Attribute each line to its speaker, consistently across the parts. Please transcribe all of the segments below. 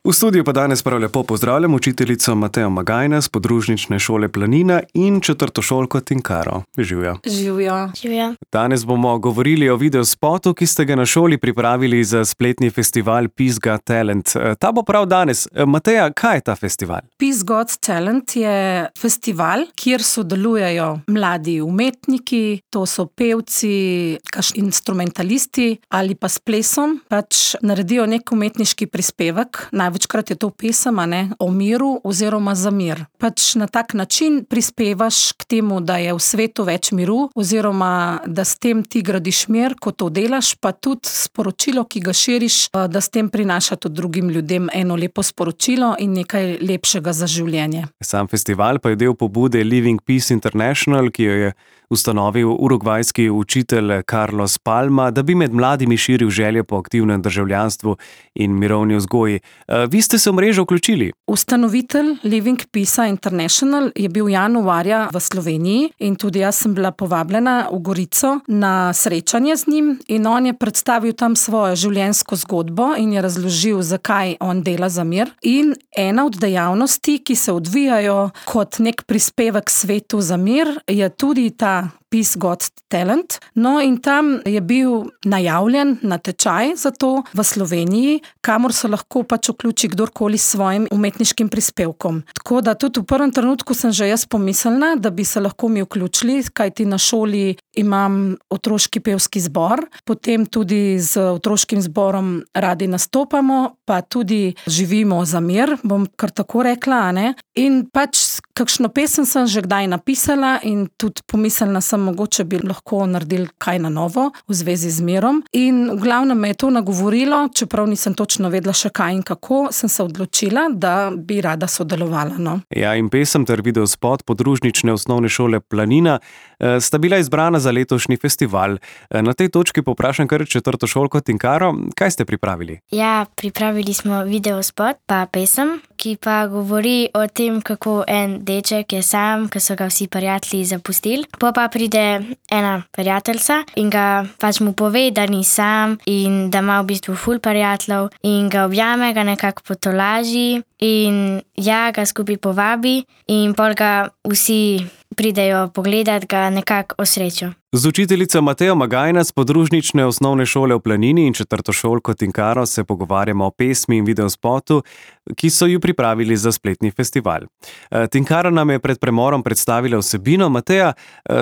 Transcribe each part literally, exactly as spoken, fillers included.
Speaker 1: V studiu pa danes prav lepo pozdravljam učiteljico Matejo Magajna z podružnične šole Planina in četrtošolko Tinkaro. Živjo.
Speaker 2: Živjo.
Speaker 3: Živjo.
Speaker 1: Danes bomo govorili o videospotu, ki ste ga na šoli pripravili za spletni festival Peace Got Talent. Ta bo prav danes. Mateja, kaj je ta festival?
Speaker 2: Peace Got Talent je festival, kjer sodelujejo mladi umetniki, to so pevci, instrumentalisti ali pa s plesom, pač naredijo nek umetniški prispevek. Največkrat je to pesem, a ne, o miru oziroma za mir. Pač na tak način prispevaš k temu, da je v svetu več miru oziroma da s tem ti gradiš mir, ko to delaš, pa tudi sporočilo, ki ga širiš, da s tem prinaša tudi drugim ljudem eno lepo sporočilo in nekaj lepšega za življenje.
Speaker 1: Sam festival pa je del pobude Living Peace International, ki jo je ustanovil urugvajski učitelj Carlos Palma, da bi med mladimi širil želje po aktivnem državljanstvu in mirovni vzgoji. Vi ste se v mrežo vključili?
Speaker 2: Ustanovitelj Living Peace International je bil januarja v Sloveniji in tudi jaz sem bila povabljena v Gorico na srečanje z njim in on je predstavil tam svojo življenjsko zgodbo in je razložil, zakaj on dela za mir. In ena od dejavnosti, ki se odvijajo kot nek prispevek svetu za mir, je tudi ta Peace Got Talent. No in tam je bil najavljen natečaj za to v Sloveniji, kamor se lahko pač vključi kdorkoli s svojim umetniškim prispevkom. Tako da tudi v prvem trenutku sem že jaz pomislila, da bi se lahko mi vključili, kajti na šoli imam otroški pevski zbor, potem tudi z otroškim zborom radi nastopamo, pa tudi živimo za mir, bom kar tako rekla, a ne. In pač kakšno pesem sem že kdaj napisala in tudi pomislila sem, mogoče bi lahko naredili kaj na novo v zvezi z mirom. In v glavnem me je to nagovorilo, čeprav nisem točno vedela še kaj in kako, sem se odločila, da bi rada sodelovala. No.
Speaker 1: Ja, in pesem ter videospot podružnične osnovne šole Planina eh, sta bila izbrana za letošnji festival. Eh, na tej točki povprašam kar četrtošolko Tinkaro, kaj ste pripravili?
Speaker 3: Ja, pripravili smo videospot pa pesem, ki pa govori o tem, kako en deček je sam, ko so ga vsi prijatelji zapustili. Po pa pride ena prijateljica in ga pač mu pove, da ni sam in da ima v bistvu ful prijateljev in ga objame, ga nekako potolaži in ja, ga skupaj povabi in pol ga vsi pridejo pogledat, ga nekako osrečo.
Speaker 1: Z učiteljico Matejo Magajna z podružnične osnovne šole v Planini in četrtošolko Tinkaro se pogovarjamo o pesmi in videospotu, ki so ju pripravili za spletni festival. Tinkaro nam je pred premorom predstavila vsebino. Mateja,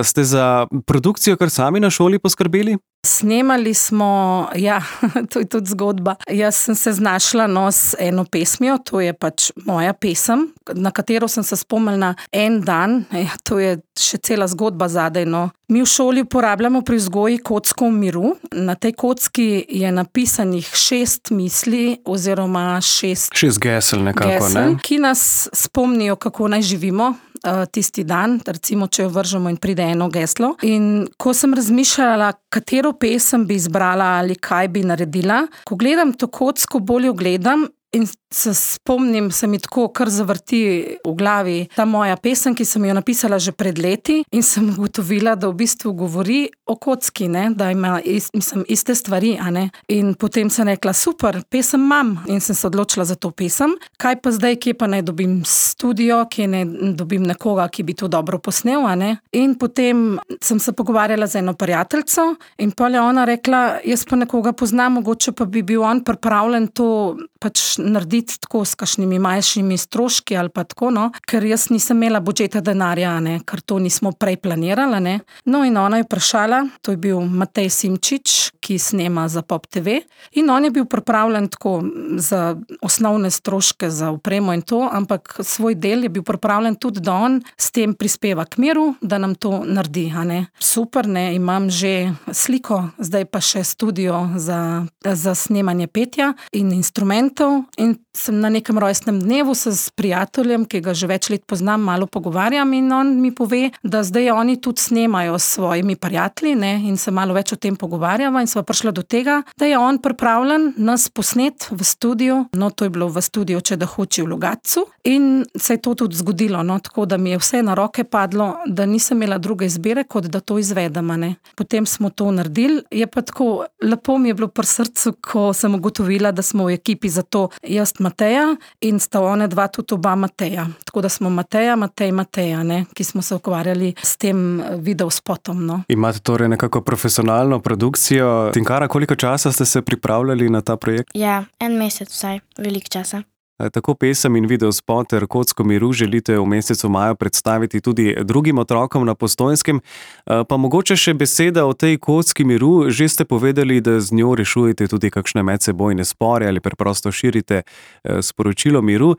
Speaker 1: ste za produkcijo kar sami na šoli poskrbeli?
Speaker 2: Snemali smo, ja, to je tudi zgodba. Jaz sem se znašla no, s eno pesmijo, to je pač moja pesem, na katero sem se spomnila en dan, ja, to je še cela zgodba zadaj. No. Mi v šoli uporabljamo pri vzgoji kocko v miru. Na tej kocki je napisanih šest misli oziroma šest,
Speaker 1: šest gesel nekako,
Speaker 2: gesel,
Speaker 1: ne?
Speaker 2: Ki nas spomnijo, kako naj živimo uh, tisti dan, recimo, če jo vržemo in pride eno geslo. In ko sem razmišljala, katero pesem bi izbrala ali kaj bi naredila, ko gledam to kocko, bolj jo gledam in se spomnim, se mi tako kar zavrti v glavi ta moja pesem, ki sem jo napisala že pred leti in sem ugotovila, da v bistvu govori o kocki, ne? Da ima ist, mislim, iste stvari. A ne? In potem sem rekla, super, pesem imam in sem se odločila za to pesem. Kaj pa zdaj, kje pa naj dobim studio, kje ne dobim nekoga, ki bi to dobro posnel, a ne? In potem sem se pogovarjala z eno prijateljico in pol je ona rekla, jaz pa nekoga poznam, mogoče pa bi bil on pripravljen to pač narediti tako s kakšnimi manjšimi stroški ali pa tako, no, ker jaz nisem imela budžeta denarja, ne, ker to nismo prej planirala, ne. No in ona je vprašala, to je bil Matej Simčič, ki snema za Pop te ve in on je bil pripravljen tako za osnovne stroške, za opremo in to, ampak svoj del je bil pripravljen tudi, da on s tem prispeva k miru, da nam to naredi, a ne. Super, ne, imam že sliko, zdaj pa še studio za, za snemanje petja in instrumentov in sem na nekem rojstnem dnevu se s prijateljem, ki ga že več let poznam, malo pogovarjam in on mi pove, da zdaj oni tudi snemajo s svojimi prijatelji, ne, in se malo več o tem pogovarjava in sva prišla do tega, da je on pripravljen nas posnet v studiu, no to je bilo v studiu Če da hoči v Logatcu in se je to tudi zgodilo, no, tako da mi je vse na roke padlo, da nisem imela druge izbire, kot da to izvedem, ne. Potem smo to naredili, je pa tako, lepo mi je bilo pri srcu, ko sem ugotovila, da smo v ekipi za to jaz Mateja in sta one dva tudi oba Mateja. Tako da smo Mateja, Matej, Mateja, ne, ki smo se ukvarjali s tem videospotom. No.
Speaker 1: Imate torej nekako profesionalno produkcijo. Tinkara, koliko časa ste se pripravljali na ta projekt?
Speaker 3: Ja, en mesec vsaj, veliko časa.
Speaker 1: Tako pesem in videospot ter Kocko miru želite v mesecu maju predstaviti tudi drugim otrokom na Postojnskem. Pa mogoče še beseda o tej Kocki miru. Že ste povedali, da z njo rešujete tudi kakšne medsebojne spore ali preprosto širite sporočilo miru.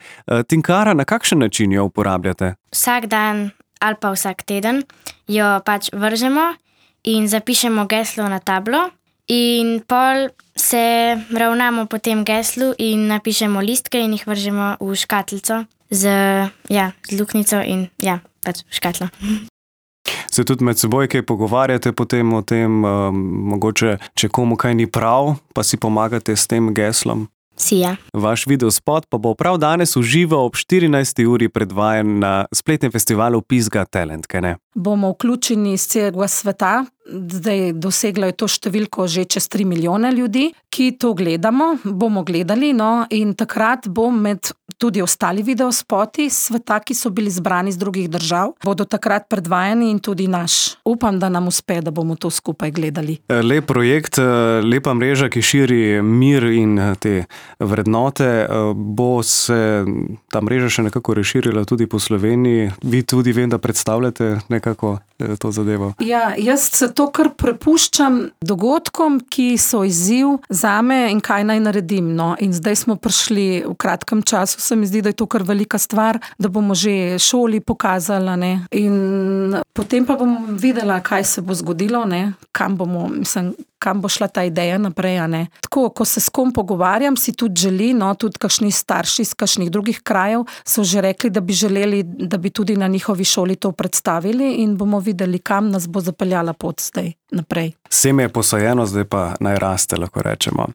Speaker 1: Tinkara, na kakšen način jo uporabljate?
Speaker 3: Vsak dan ali pa vsak teden jo pač vržemo in zapišemo geslo na tablo. In pol se ravnamo po tem geslu in napišemo listke in jih vržemo v škatlico z, ja, z luknjico in ja, pač v škatlo.
Speaker 1: Se tudi med seboj kaj pogovarjate potem o tem, um, mogoče, če komu kaj ni prav, pa si pomagate s tem geslom?
Speaker 3: Si, ja.
Speaker 1: Vaš videospot pa bo prav danes v živo ob štirinajsti uri predvajan na spletnem festivalu Pisga Talent, kaj ne?
Speaker 2: Bomo vključeni iz celega sveta. Zdaj doseglo je to številko že čez tri milijone ljudi, ki to gledamo, bomo gledali, no, in takrat bo med tudi ostali videospoti sveta, ki so bili zbrani z drugih držav, bodo takrat predvajani in tudi naš. Upam, da nam uspe, da bomo to skupaj gledali.
Speaker 1: Lep projekt, lepa mreža, ki širi mir in te vrednote. Bo se ta mreža še nekako razširila tudi po Sloveniji? Vi tudi vem, da predstavljate nekako to zadevo.
Speaker 2: Ja, jaz se to kar prepuščam dogodkom, ki so izziv zame in kaj naj naredim. No. In zdaj smo prišli v kratkem času, se mi zdi, da je to kar velika stvar, da bomo že šoli pokazali, ne. In potem pa bom videla, kaj se bo zgodilo, ne. Kam bomo, mislim, kam bo šla ta ideja naprej, a ne. Tako, ko se s kom pogovarjam, si tudi želi, no, tudi kakšni starši iz kakšnih drugih krajev so že rekli, da bi želeli, da bi tudi na njihovi šoli to predstavili in bomo videli, kam nas bo zapeljala pot zdaj naprej.
Speaker 1: Seme je posajeno, zdaj pa naj raste, lahko rečemo.